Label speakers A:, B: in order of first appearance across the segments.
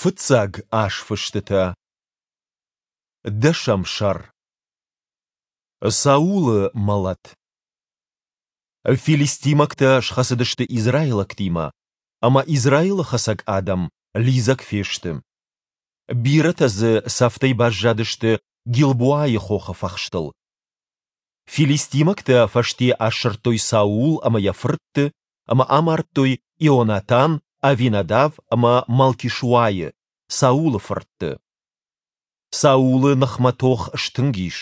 A: Фыццаг азфыстытӕ. Дӕсӕм сӕр. Саулы мӕлӕт. Филистимӕгтӕ схӕцыдысты израилӕгтимӕ, ӕмӕ Израилы хӕцӕг адӕм лидзӕг фесты. Бирӕтӕ дзы цӕфтӕй баззадысты Гилбоайы хохы фӕхстыл. Филистимӕгтӕ фӕсте асырдтой Саул ӕмӕ йӕ фыртты ӕмӕ амардтой Ионатан, Авинадав ӕмӕ Малкишуайы, Саулы фыртты. Саулы ныхмӕ тох стынг ис.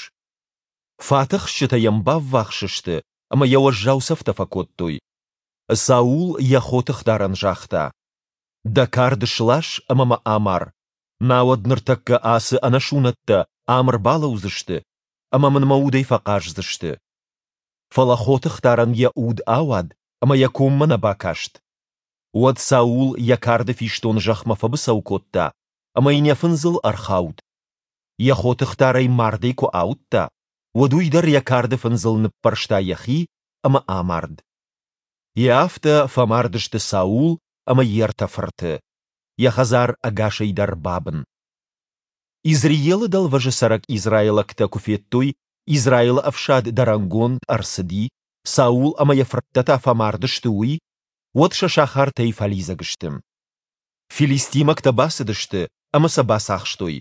A: Фатӕхсджытӕ йӕм баввахс сты ӕмӕ йӕ уӕззау цӕфтӕ фӕкодтой. Саул йӕ хотыхдарӕн загъта: «Дӕ кард слас ӕмӕ мӕ амар, науӕд ныртӕккӕ ацы ӕнӕсунӕттӕ ам ӕрбалӕудзысты ӕмӕ мын мӕ удӕй фӕхъаздзысты». Фӕлӕ хотыхдарӕн йӕ уд ауад ӕмӕ йӕ коммӕ нӕ бакаст. Уӕд Саул йӕ карды фистон зӕхмӕ фӕбыцӕу кодта ӕмӕ йын йӕ фындзыл ӕрхауд. Йӕ хотыхдарӕй мардӕй куы ауыдта, уӕд уый дӕр йӕ карды фындзыл ныппӕрста йӕхи ӕмӕ амард. Йе афтӕ фӕмард сты Саул ӕмӕ йе ртӕ фырты. Йӕ хӕдзар ӕгасӕй дӕр бабын. Изреелы дӕлвӕзы цӕрӕг израилӕгтӕ куы федтой, Израилы ӕфсад дӕрӕнгонд ӕрцыди, Саул ӕмӕ йӕ фырттӕ та фӕмард сты, уый, уӕд сӕ сахартӕй фӕлидзӕг сты. Филистимӕгтӕ бацыдысты ӕмӕ сӕ бацахстой.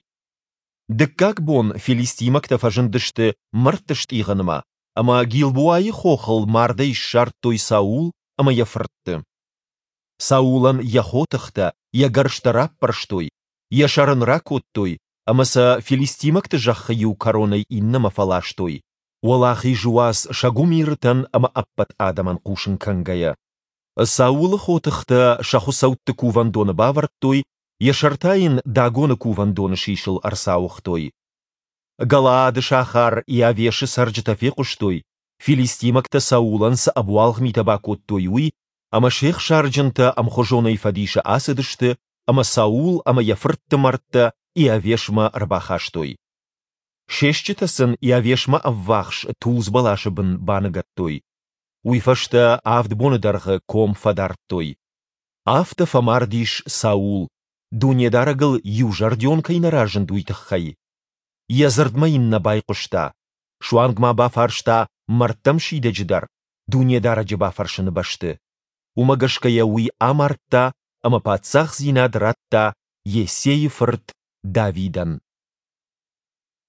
A: Дыккаг бон филистимӕгтӕ фӕзындысты мӕрдты стъигъынмӕ ӕмӕ Гилбоайы хохыл мардӕй ссардтой Саул ӕмӕ йӕ фыртты. Саулӕн йӕ хотыхтӕ, йӕ гӕрзтӕ раппӕрстой, йӕ сӕр ын ракодтой ӕмӕ сӕ филистимӕгты зӕххы иу кӕронӕй иннӕмӕ фӕластой, уӕлахизы уац сӕ гуымирытӕн ӕмӕ ӕппӕт адӕмӕн хъусын кӕнгӕйӕ. Саулы хотыхтӕ сӕ хуыцӕутты кувӕндоны бавӕрдтой, йӕ сӕр та йын Дагоны кувӕндоны сисыл ӕрцауыгътой. Галаады сахар Иавешы цӕрджытӕ фехъуыстой, филистимӕгтӕ Саулӕн цы ӕбуалгъ митӕ бакодтой, уый, ӕмӕ се хсарджынтӕ ӕмхуызонӕй фӕдисы ацыдысты ӕмӕ Саул ӕмӕ йӕ фыртты мӕрдтӕ Иавешмӕ ӕрбахастой. Се стджытӕ сын Иавешмӕ ӕввахс тулдз бӕласы бын баныгӕдтой. Уый фӕстӕ авд боны дӕргъы ком фӕдардтой. Афтӕ фӕмард ис Саул, Дунедарӕгыл иузӕрдион кӕй нӕ разынд, уый тыххӕй. Йӕ дзырдмӕ йын нӕ байхъуыста, суанг ма бафарста мӕрдтӕм сидӕджы дӕр, Дунедарӕджы бафӕрсыны бӕсты. Уымӕ гӕсгӕ йӕ уый амардта ӕмӕ паддзахдзинад радта Йессейы фырт Давидӕн.